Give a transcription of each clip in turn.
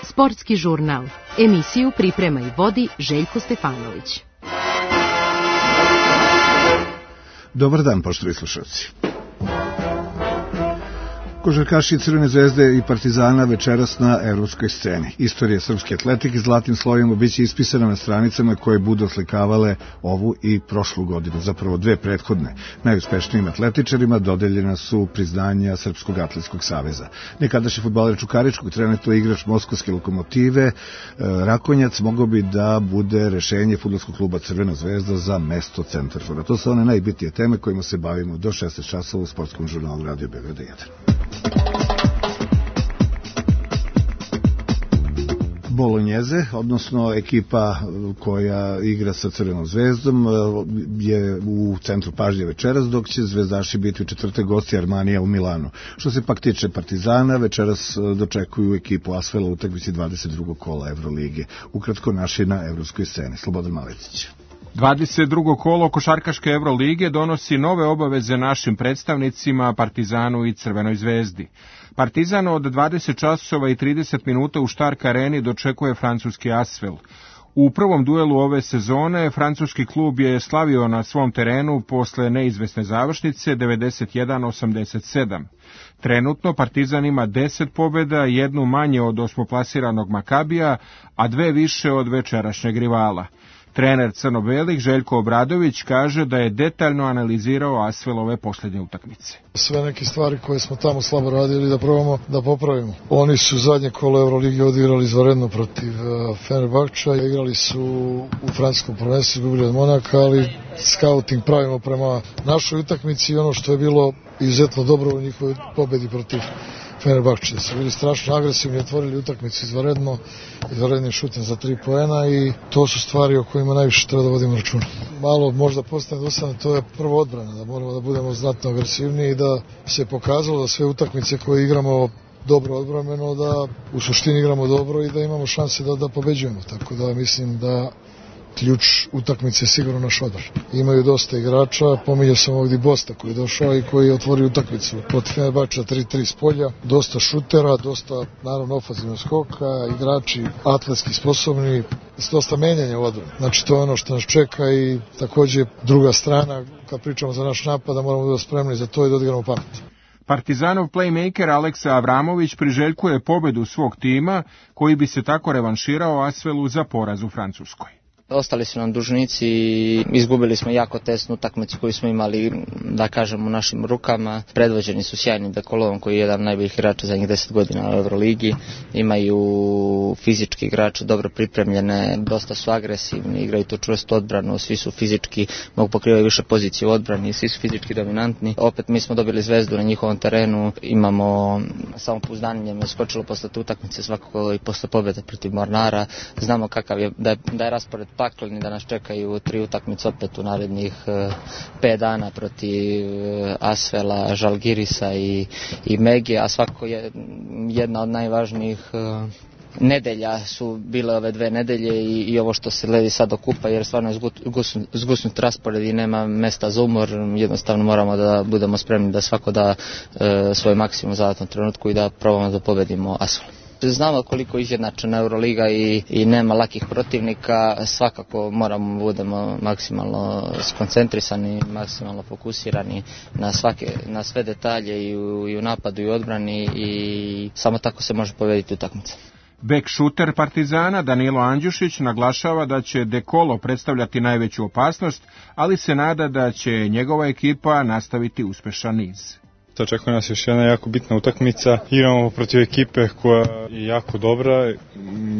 Sportski žurnal. Emisiju priprema i vodi Željko Stefanović. Dobar dan, poštovani slušalci. Košarkaši Crvene zvezde i Partizana večeras na evropskoj sceni. Istorija srpske atletike zlatnim slovima biće ispisana na stranicama koje budu oslikavale ovu i prošlu godinu, zapravo dve prethodne. Najuspešnijim atletičarima dodeljena su priznanja Srpskog atletskog saveza. Nekadašnji fudbaler Čukaričkog, trenutno igrač Moskovske Lokomotive, Rakonjac, mogao bi da bude rešenje fudbalskog kluba Crvena zvezda za mesto centarfora. To su one najbitnije teme kojima se bavimo do 16 časova u sportskom žurnalu Radio Beograd 1. Bolonjeze, odnosno ekipa koja igra sa Crvenom zvezdom, je u centru pažnje večeras, dok će zvezdaši biti u četvrtek gosti Armanija u Milanu. Što se pak tiče Partizana, večeras dočekuju ekipu Asvela u utakmici 22. kola Evrolige. Ukratko naši na evropskoj sceni. Slobodan Maletić. 22. kolo košarkaške Evrolige donosi nove obaveze našim predstavnicima Partizanu i Crvenoj zvezdi. Partizan od 20 časova i 30 minuta u Stark areni dočekuje francuski Asvel. U prvom duelu ove sezone francuski klub je slavio na svom terenu posle neizvesne završnice 91-87. Trenutno Partizan ima 10 pobjeda, jednu manje od osmoplasiranog Makabija, a dve više od večerašnjeg rivala. Trener crno-belih Željko Obradović kaže da je detaljno analizirao Asvelove posljednje utakmice. Sve neke stvari koje smo tamo slabo radili da probamo da popravimo. Oni su zadnje kolo Evrolige odigrali izvanredno protiv Fenerbahča, igrali su u francuskom prvenstvu, izgubili od Monaka, ali scouting pravimo prema našoj utakmici i ono što je bilo izuzetno dobro u njihovoj pobedi protiv Fenerbahče. Su bili strašno agresivni, otvorili utakmicu izvanrednim šutem za 3 poena i to su stvari o kojima najviše treba da vodimo računa. Malo možda postane dosadno, to je prvo odbrana, da moramo da budemo znatno agresivniji i da se pokazalo da sve utakmice koje igramo dobro odbrambeno, da u suštini igramo dobro i da imamo šanse da pobeđujemo. Tako da mislim da ključ utakmice je sigurno naš odbrana. Imaju dosta igrača, pominjao sam ovdje Bosta koji je došao i koji je otvorio utakmicu protiv Fenerbahča 3-3 s polja, dosta šutera, dosta naravno ofanzivnog skoka, igrači atletski sposobni, dosta menjanja u odbrani. Znači to je ono što nas čeka i također druga strana, kad pričamo za naš napad, da moramo biti spremni za to i da odigramo pamet. Partizanov playmaker Aleksa Avramović priželjkuje pobedu svog tima, koji bi se tako revanširao Asvelu za poraz u Francuskoj. Ostali su nam dužnici i izgubili smo jako tesnu utakmicu koju smo imali, da kažem, u našim rukama. Predvođeni su sjajnim Dekolovom koji je jedan od najboljih igrača zadnjih 10 godina u Euroligi. Imaju fizički igrače, dobro pripremljene, dosta su agresivni, igraju tu čvrstu odbranu, svi su fizički, mogu pokrivati više pozicije u odbrani, svi su fizički dominantni. Opet mi smo dobili zvezdu na njihovom terenu, imamo samopouzdanje, me skočilo posle te utakmice svakako i posle pobjede protiv Mornara. Znamo kakav je, da je raspored pakleni, da nas čekaju 3 utakmice opet u narednih 5 dana protiv Asvela, Žalgirisa i Megije, a svako je jedna od najvažnijih nedelja su bile ove 2 nedelje i ovo što se ledi sad okupa, jer stvarno je zgusnut raspored i nema mesta za umor. Jednostavno moramo da budemo spremni da svako da svoj maksimum za tom trenutku i da probamo da pobedimo Asvel. Znamo koliko izjednačena Euroliga i nema lakih protivnika, svakako moramo budemo maksimalno skoncentrisani, maksimalno fokusirani na sve detalje i u napadu i u odbrani i samo tako se može pobediti utakmica. Bek šuter Partizana Danilo Andjušić naglašava da će Dekolo predstavljati najveću opasnost, ali se nada da će njegova ekipa nastaviti uspešan niz. Očekuje nas još jedna jako bitna utakmica. Igramo protiv ekipe koja je jako dobra,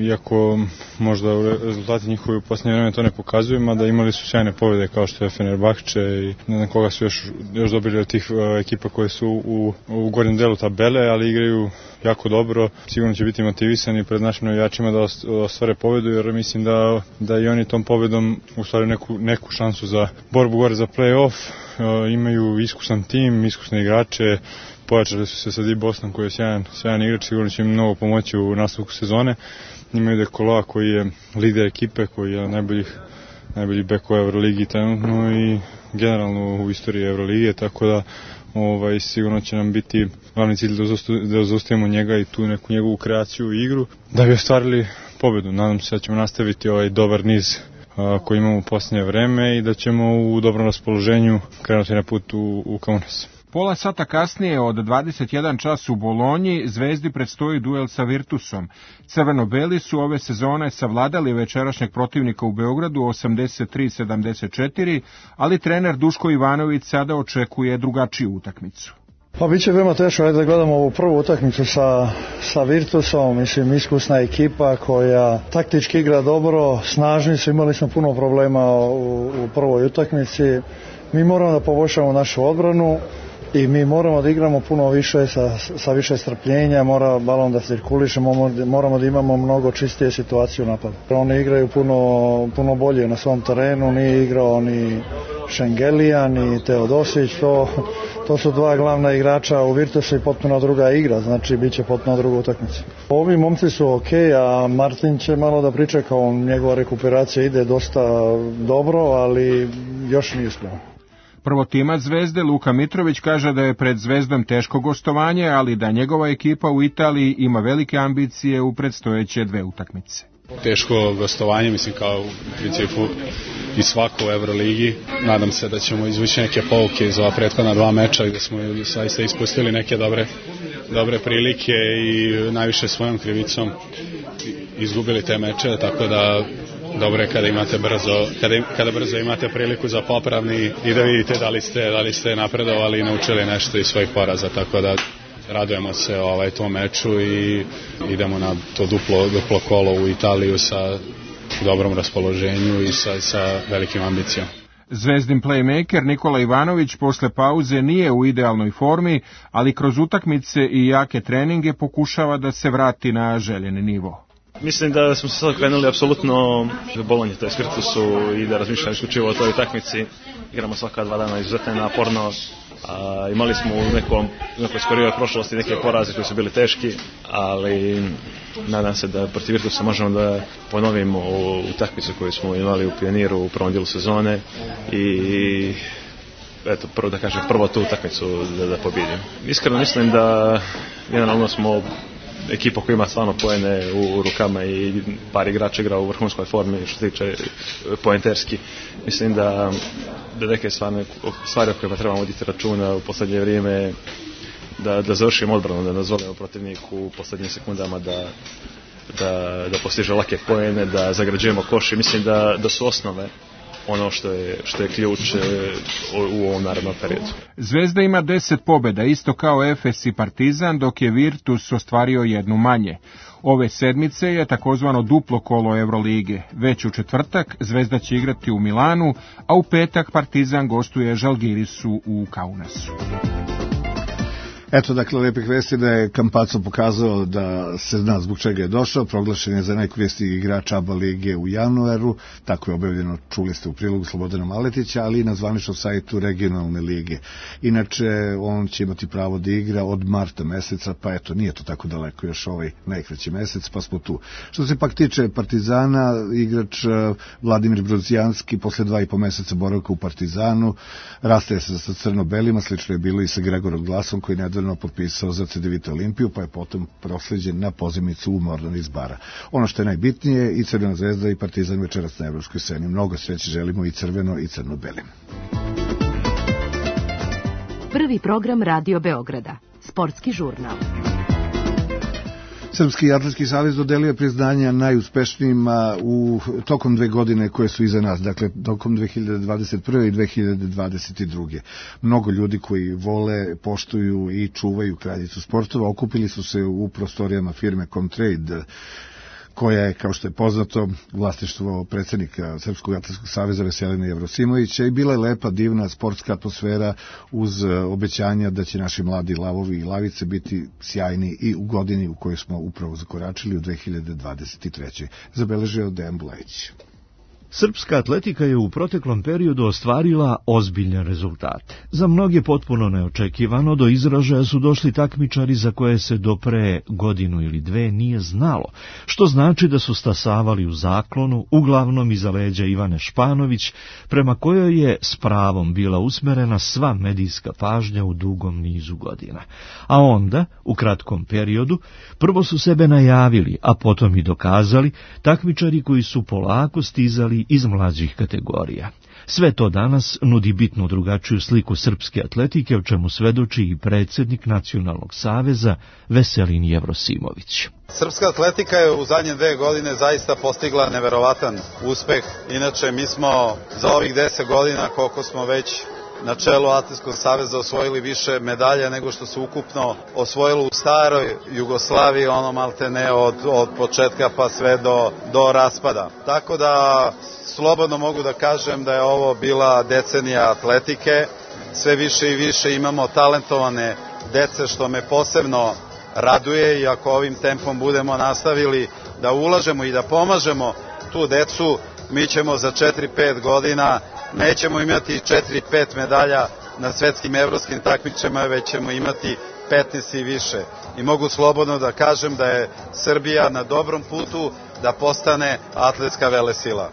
iako možda rezultati njihovi u posljednje vreme to ne pokazuju, mada imali su sjajne pobjede kao što je Fenerbahče i ne znam koga su još dobili od tih ekipa koje su u gornjem delu tabele, ali igraju jako dobro. Sigurno će biti motivisani pred našim navijačima da ostvare pobjedu, jer mislim da i oni tom pobjedom ostvaruju neku šansu za borbu gore za play-off. Imaju iskusan tim, iskusne igrače, pojačali su se sa Di Bostom koji je sjajan igrač, sigurno će im mnogo pomoći u nastavku sezone. Imaju Dekoloa koji je lider ekipe, koji je najbolji bek u Euroligi trenutno i generalno u istoriji Evrolige, tako da sigurno će nam biti glavni cilj da zaustavimo njega i tu neku njegovu kreaciju i igru da bi ostvarili pobedu. Nadam se da ćemo nastaviti ovaj dobar niz koji imamo u posljednje vreme i da ćemo u dobrom raspoloženju krenuti na put u Kaunas. Pola sata kasnije od 21 čas u Bolonji Zvezdi predstoji duel sa Virtusom. Crveno-beli su ove sezone savladali večerašnjeg protivnika u Beogradu 83-74, ali trener Duško Ivanović sada očekuje drugačiju utakmicu. Pa biće veoma teško, ajde da gledamo ovu prvu utakmicu sa Virtusom, mislim iskusna ekipa koja taktički igra dobro, snažni su, imali smo puno problema u prvoj utakmici. Mi moramo da poboljšamo našu odbranu i mi moramo da igramo puno više sa više strpljenja, mora balon da cirkuliše, moramo da imamo mnogo čistije situacije u napadu. Oni igraju puno bolje na svom terenu, nije igrao ni Šengelija, ni Teodosić, to su dva glavna igrača u Virtusu i potpuno druga igra, znači bit će potpuno druga utakmica. Ovi momci su ok, a Martin će malo da pričeka, njegova rekuperacija ide dosta dobro, ali još nije spreman. Prvotimac Zvezde Luka Mitrović kaže da je pred Zvezdom teško gostovanje, ali da njegova ekipa u Italiji ima velike ambicije u predstojeće dve utakmice. Teško gostovanje, mislim kao u principu i svako u Evroligi. Nadam se da ćemo izvući neke pouke iz ova prethodna dva meča gdje smo zaista ispustili neke dobre prilike i najviše svojom krivicom izgubili te meče, tako da dobro je kada brzo imate priliku za popravni i da vidite da li ste napredovali i naučili nešto iz svojih poraza, tako da radujemo se tom meču i idemo na to duplo kolo u Italiju sa dobrom raspoloženju i sa velikim ambicijom. Zvezdin playmaker Nikola Ivanović posle pauze nije u idealnoj formi, ali kroz utakmice i jake treninge pokušava da se vrati na željeni nivo. Mislim da smo se sad krenuli apsolutno u Bolonji, to je Virtusu i da razmišljamo isključivo o toj utakmici. Igramo svaka 2 dana izuzetno naporno. Imali smo u nekoj skorijoj prošlosti neke poraze koji su bili teški, ali nadam se da protiv Virtusa možemo da ponovimo utakmicu koju smo imali u Pioniru u prvom dijelu sezone i eto, prvo tu utakmicu da pobjedimo. Iskreno mislim da generalno smo ekipa koja ima stvarno poene u rukama i par igrača igra u vrhunskoj formi što se tiče poenterski. Mislim da neke stvari o kojima trebamo voditi računa u posljednje vrijeme da završimo odbranu, da dozvolimo protivniku u posljednjim sekundama da postiže lake poene, da zagrađujemo koš i mislim da su osnove ono što je ključ u ovom narednom periodu. Zvezda ima 10 pobjeda, isto kao Efes i Partizan, dok je Virtus ostvario jednu manje. Ove sedmice je takozvano duplo kolo Evrolige. Već u četvrtak Zvezda će igrati u Milanu, a u petak Partizan gostuje Žalgirisu u Kaunasu. Eto, dakle, lepih vesti da je Campazzo pokazao da se zna zbog čega je došao, proglašen je za najkoristniji igrač ABA lige u januaru, tako je objavljeno, čuli ste u prilogu Slobodana Maletića, ali i na zvaničnom sajtu regionalne lige. Inače, on će imati pravo da igra od marta meseca, pa eto, nije to tako daleko, još ovaj najkraći mesec, pa smo tu. Što se pak tiče Partizana, igrač Vladimir Brodzijanski posle 2,5 meseca boravka u Partizanu rastaje se sa crno-belima, slično je bilo i sa Gregorom Glasom, koji nedavno potpisao za CDVita Olimpiju, pa je potom prosleđen na pozivnicu u Mornan iz Bara. Ono što je najbitnije, i Crvena zvezda i Partizan večeras na evropskoj sceni. Mnogo sreće želimo i crveno i crno-belim. Prvi program Radio Beograda. Sportski žurnal. Srpski atletski savez dodelio je priznanja najuspešnijima tokom 2 godine koje su iza nas, dakle tokom 2021. i 2022. Mnogo ljudi koji vole, poštuju i čuvaju kraljicu sportova okupili su se u prostorijama firme Comtrade, koja je, kao što je poznato, vlasništvo predsjednika Srpskog atletskog saveza Veselina Jevrosimovića, i bila je lepa, divna sportska atmosfera uz obećanja da će naši mladi lavovi i lavice biti sjajni i u godini u kojoj smo upravo zakoračili u 2023. Zabeležio Dejan Bulajić. Srpska atletika je u proteklom periodu ostvarila ozbiljne rezultate. Za mnoge potpuno neočekivano do izražaja su došli takmičari za koje se do pre godinu ili dve nije znalo, što znači da su stasavali u zaklonu, uglavnom iza leđa Ivane Španović, prema kojoj je s pravom bila usmerena sva medijska pažnja u dugom nizu godina. A onda, u kratkom periodu, prvo su sebe najavili, a potom i dokazali, takmičari koji su polako stizali iz mlađih kategorija. Sve to danas nudi bitno drugačiju sliku srpske atletike, o čemu svedoči i predsjednik Nacionalnog saveza Veselin Jevrosimović. Srpska atletika je u zadnje 2 godine zaista postigla neverovatan uspeh. Inače, mi smo za ovih 10 godina, koliko smo već na čelu Atletskog saveza, osvojili više medalja nego što se ukupno osvojilo u staroj Jugoslaviji, ono maltene od početka pa sve do raspada. Tako da slobodno mogu da kažem da je ovo bila decenija atletike. Sve više i više imamo talentovane dece, što me posebno raduje, i ako ovim tempom budemo nastavili da ulažemo i da pomažemo tu decu, mi ćemo za 4-5 godina nećemo imati 4-5 medalja na svetskim evropskim takmičenjima, već ćemo imati 15 i više. I mogu slobodno da kažem da je Srbija na dobrom putu da postane atletska velesila.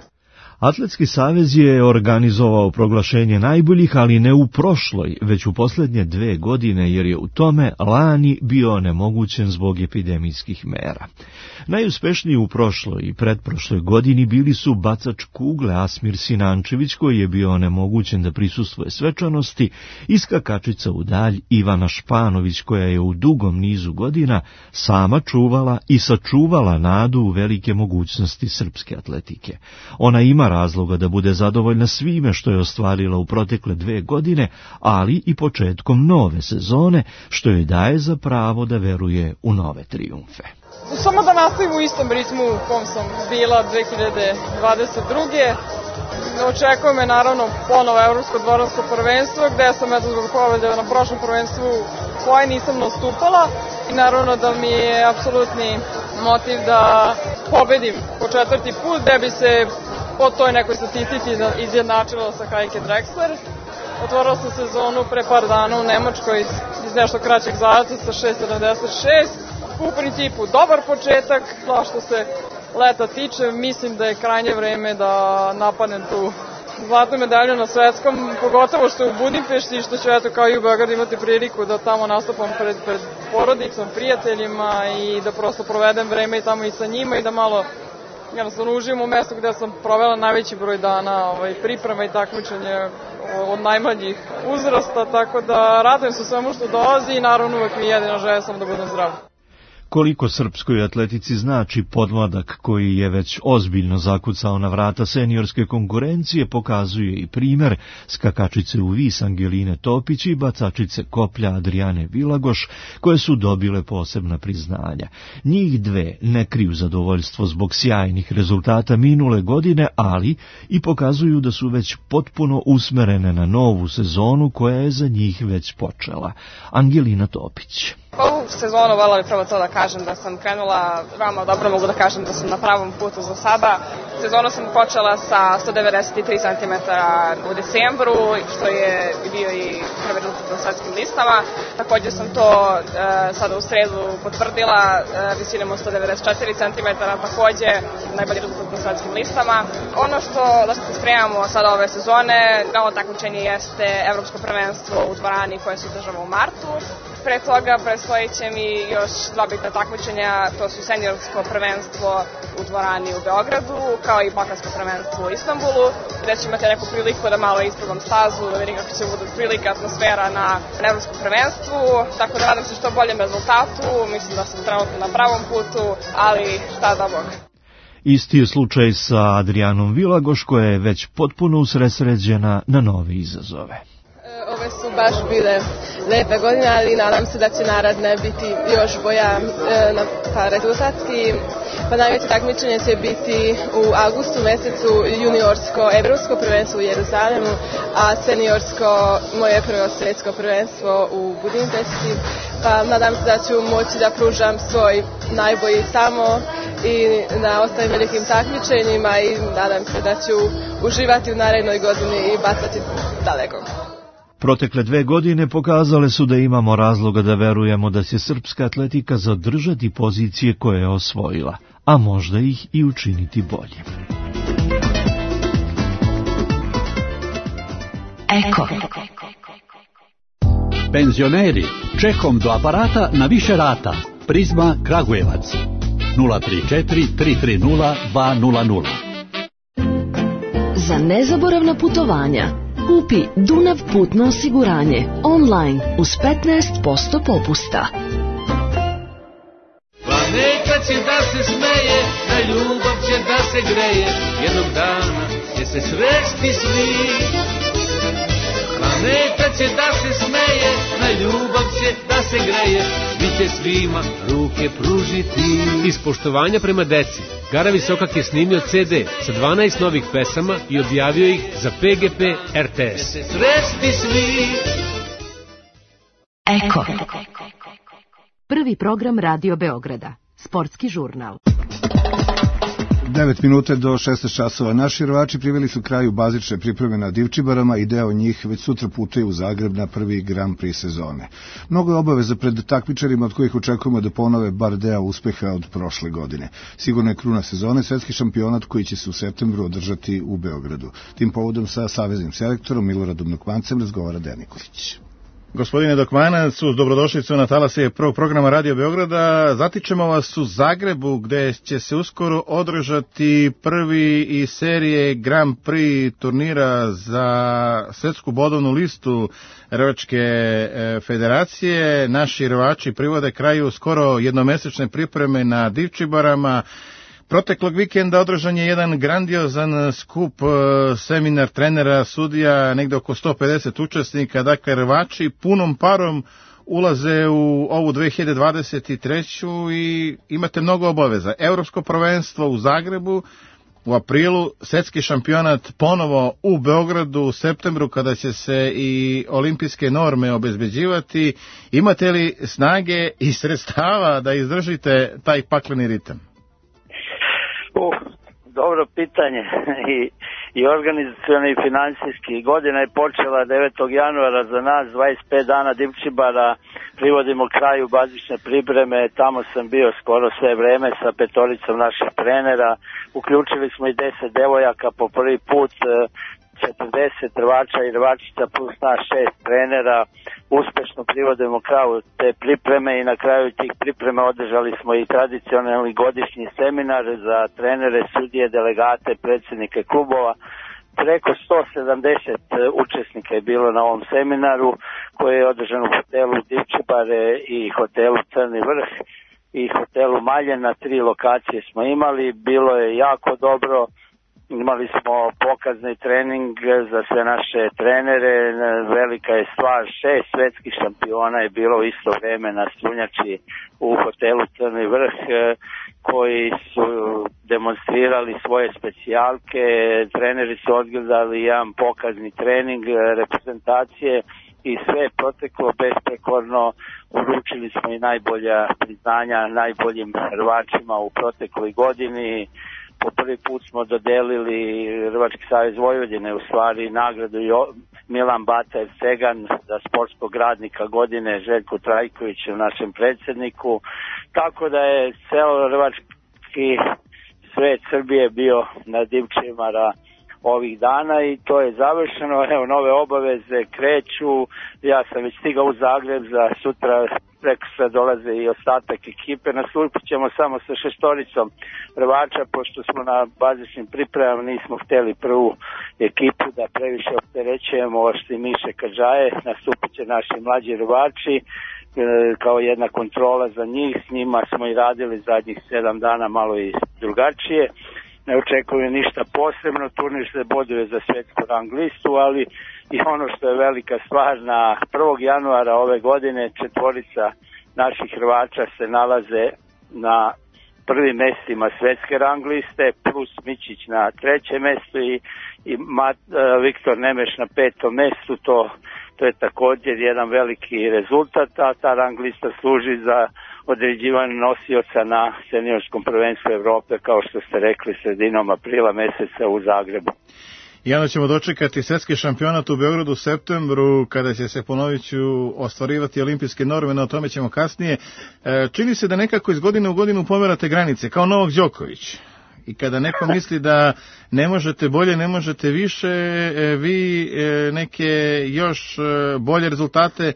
Atletski savez je organizovao proglašenje najboljih, ali ne u prošloj, već u posljednje 2 godine, jer je u tome lani bio onemogućen zbog epidemijskih mera. Najuspešniji u prošloj i pretprošloj godini bili su bacač kugle Asmir Sinančević, koji je bio onemogućen da prisustvuje svečanosti, i skakačica u dalj Ivana Španović, koja je u dugom nizu godina sama čuvala i sačuvala nadu u velike mogućnosti srpske atletike. Ona ima razloga da bude zadovoljna svime što je ostvarila u protekle 2 godine, ali i početkom nove sezone, što joj daje za pravo da veruje u nove trijumfe. Samo da nastavim u istom ritmu u kom sam bila 2022. Očekuje me naravno ponovo Evropsko dvoransko prvenstvo, gde sam zbog povrede na prošlom prvenstvu koje nisam nastupala, i naravno da mi je apsolutni motiv da pobedim po 4. put, gde bi se po toj nekoj statistici izjednačilo sa Heike Drexler. Otvorila sam sezonu pre par dana u Nemačkoj iz nešto kraćeg zadatka sa 6.76. U principu dobar početak, a što se leta tiče, mislim da je krajnje vreme da napadnem tu zlatnu medalju na svetskom, pogotovo što je u Budimpešti, što ću kao i u Beogradu imati priliku da tamo nastupam pred porodicom, prijateljima, i da prosto provedem vreme i tamo i sa njima, i da malo jednostavno uživim u mestu gde sam provela najveći broj dana priprema i takmičenja od najmanjih uzrasta, tako da radujem se svemu što dolazi, i naravno uvek mi jedina želja sam da budem zdrav. Koliko srpskoj atletici znači podmladak koji je već ozbiljno zakucao na vrata seniorske konkurencije, pokazuje i primer skakačice u vis Angeline Topić i bacačice koplja Adriane Vilagoš, koje su dobile posebna priznanja. Njih dve ne kriju zadovoljstvo zbog sjajnih rezultata minule godine, ali i pokazuju da su već potpuno usmerene na novu sezonu koja je za njih već počela. Angelina Topić. Ovu sezonu voljela bih prvo to da kažem da sam krenula veoma dobro, mogu da kažem da sam na pravom putu za sada. Sezonu sam počela sa 193 cm u decembru, što je bio i prvi rezultat na svetskim listama. Također sam to sada u sredu potvrdila visinom od 194 cm, također najbolji rezultat na svetskim listama. Ono da se spremamo sada ove sezone, novo takmičenje jeste Evropsko prvenstvo u dvorani koje se održava u martu. Pre toga predstoji će mi još 2 bitna takmičenja, to su seniorsko prvenstvo u dvorani u Beogradu, kao i balkansko prvenstvo u Istanbulu, gde ću imati neku priliku da malo isprobam stazu, da vidim kako će bude prilika, atmosfera na evropskom prvenstvu, tako da nadam se što boljem rezultatu, mislim da sam trenutno na pravom putu, ali šta da Bog. Isti je slučaj sa Adrianom Vilagoš, koja je već potpuno usredsređena na nove izazove. Ove su baš bile lepe godine, ali nadam se da će naredne biti još bolja pa rezultatski. Pa najveće takmičenje će biti u avgustu mesecu juniorsko evropsko prvenstvo u Jeruzalemu, a seniorsko moje prvo svjetsko prvenstvo u Budimpešti. Pa nadam se da ću moći da pružam svoj najbolji tamo i na ostalim velikim takmičenjima i nadam se da ću uživati u narednoj godini i bacati daleko. Protekle 2 godine pokazale su da imamo razloga da verujemo da će srpska atletika zadržati pozicije koje je osvojila, a možda ih i učiniti boljim. Eko. Penzioneri, čekom do aparata na više rata. Prizma Kragujevac 034 330 200. Za nezaboravna putovanja kupi Dunav putno osiguranje online uz 15% popusta. Planeta će da se smeje, na ljubav će da se greje, jednog dana će se sresti svi. Planeta će da se smeje, na ljubav će da se greje, svi će svima ruke pružiti. Iz poštovanja prema deci, Gara Visokak je snimio CD sa 12 novih pesama i objavio ih za PGP RTS. Će se sresti svi. Eko. Prvi program Radio Beograda. Sportski žurnal. 9 minuta do 16 časova. Naši rvači priveli su kraju bazične pripreme na Divčibarama i deo njih već sutra putuju u Zagreb na prvi Grand Prix sezone. Mnogo je obaveza pred takmičarima od kojih očekujemo da ponove bar deo uspeha od prošle godine. Sigurno je kruna sezone svetski šampionat koji će se u septembru održati u Beogradu. Tim povodom sa saveznim selektorom Miloradom Dokmancem razgovara Dejan Nikolić. Gospodine Dokmanac, uz dobrodošlicu na talase prvog programa Radio Beograda. Zatičemo vas u Zagrebu, gde će se uskoro održati prvi iz serije Grand Prix turnira za svetsku bodovnu listu Rvačke federacije. Naši rvači privode kraju skoro jednomesečne pripreme na Divčibarama. Proteklog vikenda održan je jedan grandiozan skup, seminar trenera, sudija, negde oko 150 učesnika. Dakle, rvači punom parom ulaze u ovu 2023. i imate mnogo obaveza. Evropsko prvenstvo u Zagrebu u aprilu, svetski šampionat ponovo u Beogradu u septembru kada će se i olimpijske norme obezbeđivati. Imate li snage i sredstava da izdržite taj pakleni ritam? Dobro pitanje i organizacioni i financijski. Godina je počela 9. januara za nas, 25 dana Divčibara, privodimo kraju bazične pripreme, tamo sam bio skoro sve vreme sa 5 naših trenera, uključili smo i 10 devojaka po prvi put, 40 rvača i rvačica plus naš 6 trenera, uspešno privodimo kraju te pripreme i na kraju tih priprema održali smo i tradicionalni godišnji seminar za trenere, sudije, delegate, predsjednike klubova. Preko 170 učesnika je bilo na ovom seminaru koji je održan u hotelu Divčibare i hotelu Crni vrh i hotelu Maljen. Na 3 lokacije smo imali, bilo je jako dobro. Imali smo pokazni trening za sve naše trenere, velika je stvar, 6 svetskih šampiona je bilo u isto vreme na Strunjači u hotelu Crni vrh, koji su demonstrirali svoje specijalke, treneri su odgledali jedan pokazni trening reprezentacije i sve je proteklo besprekorno. Uručili smo i najbolja priznanja najboljim rvačima u protekloj godini. Po prvi put smo dodelili Rvački savez Vojvodine, u stvari nagradu Milan Bata Cegan za sportskog radnika godine, Željko Trajković našem predsjedniku. Tako da je celo rvački svet Srbije bio na Divčibara ovih dana i to je završeno. Evo, nove obaveze kreću. Ja sam već stigao u Zagreb, za sutra preko sve dolaze i ostatak ekipe. Nastupit ćemo samo sa 6 rvača, pošto smo na bazičnim pripremama nismo htjeli prvu ekipu da previše opterećujemo, ošli Miše Kadžaje. Nastupit će naši mlađi rvači kao jedna kontrola za njih. S njima smo i radili zadnjih 7 dana malo i drugačije. Ne očekujem ništa posebno, turnir se boduje za svjetsku rang listu, ali i ono što je velika stvar, na 1. januara ove godine 4 naših Hrvača se nalaze na prvim mestima svetske rang liste, plus Mićić na 3. mestu i Viktor Nemeš na 5. mestu. To je također jedan veliki rezultat, a ta rang lista služi za određivanje nosioca na seniorskom prvenstvu Evrope, kao što ste rekli, sredinom aprila meseca u Zagrebu. I onda ćemo dočekati svetski šampionat u Beogradu u septembru, kada će se, ponovit ću, ostvarivati olimpijske norme, no o tome ćemo kasnije. Čini se da nekako iz godine u godinu pomerate granice, kao Novak Đoković. I kada neko misli da ne možete bolje, ne možete više, vi neke još bolje rezultate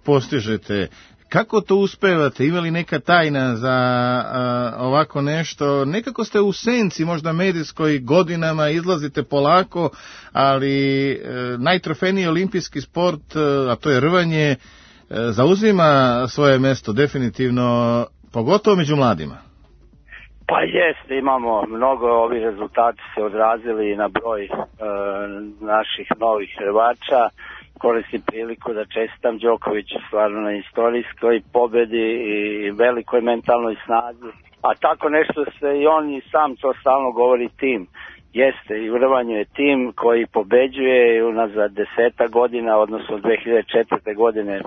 postižete. Kako to uspevate? Ima li neka tajna za ovako nešto? Nekako ste u senci, možda medijskoj, godinama, izlazite polako, ali najtrofejniji olimpijski sport, a to je rvanje, zauzima svoje mesto definitivno, pogotovo među mladima. Pa jeste, imamo mnogo, ovi rezultati se odrazili na broj naših novih Hrvača. Koristim priliku da čestitam Đokoviću stvarno na istorijskoj pobedi i velikoj mentalnoj snazi. A tako nešto se i on i sam to stalno govori, tim. Jeste, i u rvanju je tim koji pobeđuje i unazad 10 godina, odnosno 2004. godine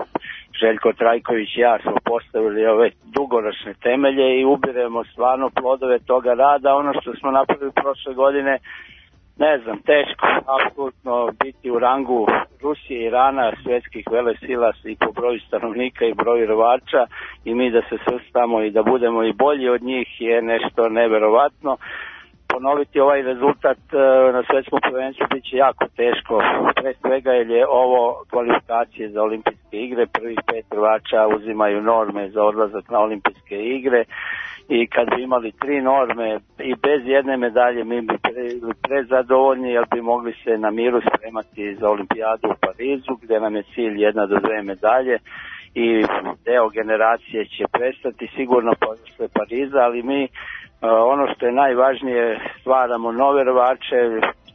Željko Trajković i ja smo postavili ove dugoročne temelje i ubiremo stvarno plodove toga rada. Ono što smo napravili prošle godine, ne znam, teško apsolutno biti u rangu Rusije i Irana, svjetskih velesila i po broju stanovnika i broju Hrvača, i mi da se svrstamo i da budemo i bolji od njih je nešto neverovatno. Ponoviti ovaj rezultat na svjetskom prvenstvu bit će jako teško, pre svega jer je ovo kvalifikacije za olimpijske igre, prvih 5 Hrvača uzimaju norme za odlazak na olimpijske igre, i kad bi imali 3 norme i bez jedne medalje mi bi prezadovoljni, jer bi mogli se na miru spremati za olimpijadu u Parizu, gdje nam je cilj 1 do 2 medalje i deo generacije će prestati sigurno posle Pariza, ali mi ono što je najvažnije, stvaramo nove Hrvače,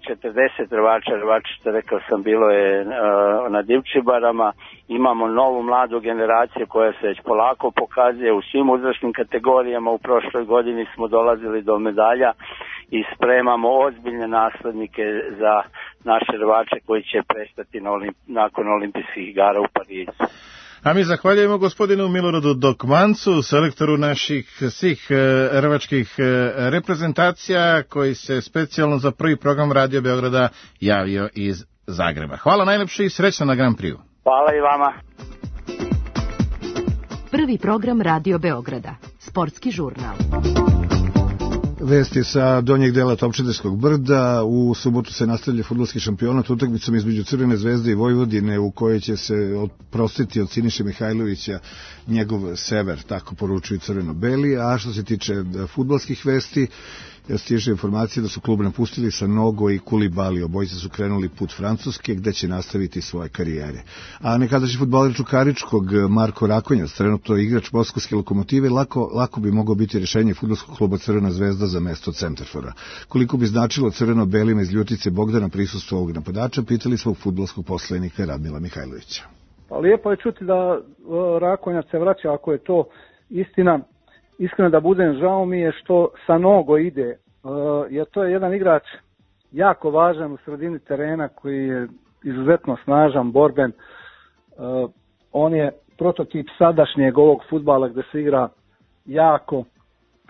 40 Hrvača, što rekao sam, bilo je na Divčibarama. Imamo novu mladu generaciju koja se već polako pokazuje u svim uzrasnim kategorijama. U prošloj godini smo dolazili do medalja i spremamo ozbiljne naslednike za naše Hrvače koji će prestati nakon olimpijskih igara u Parizu. A mi zahvaljujemo gospodinu Miloradu Dokmancu, selektoru naših svih hrvačkih reprezentacija, koji se specijalno za prvi program Radio Beograda javio iz Zagreba. Hvala najlepše i srećno na Grand Prix-u. Hvala i vama. Prvi program Radio Beograda, sportski žurnal. Vesti sa donjeg dela Topčiderskog brda. U subotu se nastavlja fudbalski šampionat utakmicom između Crvene zvezde i Vojvodine, u kojoj će se oprostiti od Siniše Mihajlovića njegov sever, tako poručuju crveno-beli. A što se tiče fudbalskih vesti, stiže informacije da su klub napustili Sanogo i Kulibali. Obojice su krenuli put Francuske, gde će nastaviti svoje karijere. A nekadašnji fudbaler Čukaričkog Marko Rakonjac, trenutno igrač Moskovske Lokomotive, lako bi mogao biti rješenje fudbalskog kluba Crvena zvezda za mesto centarfora. Koliko bi značilo crveno-belima iz Ljutice Bogdana prisustvo ovog napadača, pitali smo fudbalskog poslenika Radmila Mihajlovića. Pa lijepo je čuti da Rakonjac se vraća, ako je to istina. Iskreno da budem, žao mi je što Sanogo ide, jer to je jedan igrač jako važan u sredini terena koji je izuzetno snažan, borben. On je prototip sadašnjeg ovog fudbala gdje se igra jako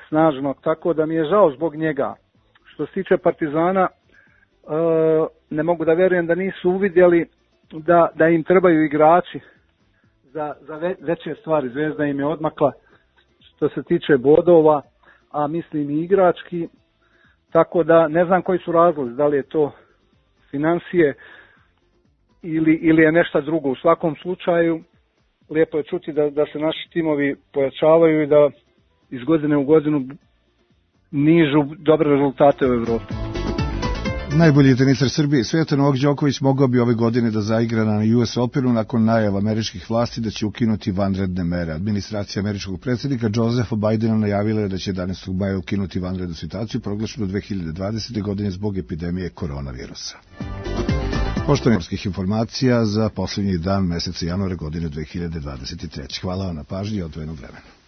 snažno, tako da mi je žao zbog njega. Što se tiče Partizana, ne mogu da vjerujem da nisu uvidjeli da im trebaju igrači za veće stvari. Zvezda im je odmakla što se tiče bodova, a mislim i igrački, tako da ne znam koji su razlozi, da li je to financije ili je nešto drugo. U svakom slučaju, lijepo je čuti da se naši timovi pojačavaju i da iz godine u godinu nižu dobre rezultate u Evropi. Najbolji tenisar Srbije i svijeta Novak Đoković mogao bi ove godine da zaigra na US Openu nakon najava američkih vlasti da će ukinuti vanredne mere. Administracija američkog predsjednika Josepha Bidena najavila je da će 11. maja ukinuti vanrednu situaciju proglašenu 2020. godine zbog epidemije koronavirusa. poštovnih informacija za posljednji dan meseca januara godine 2023. Hvala vam na pažnji i odvojenog vremena.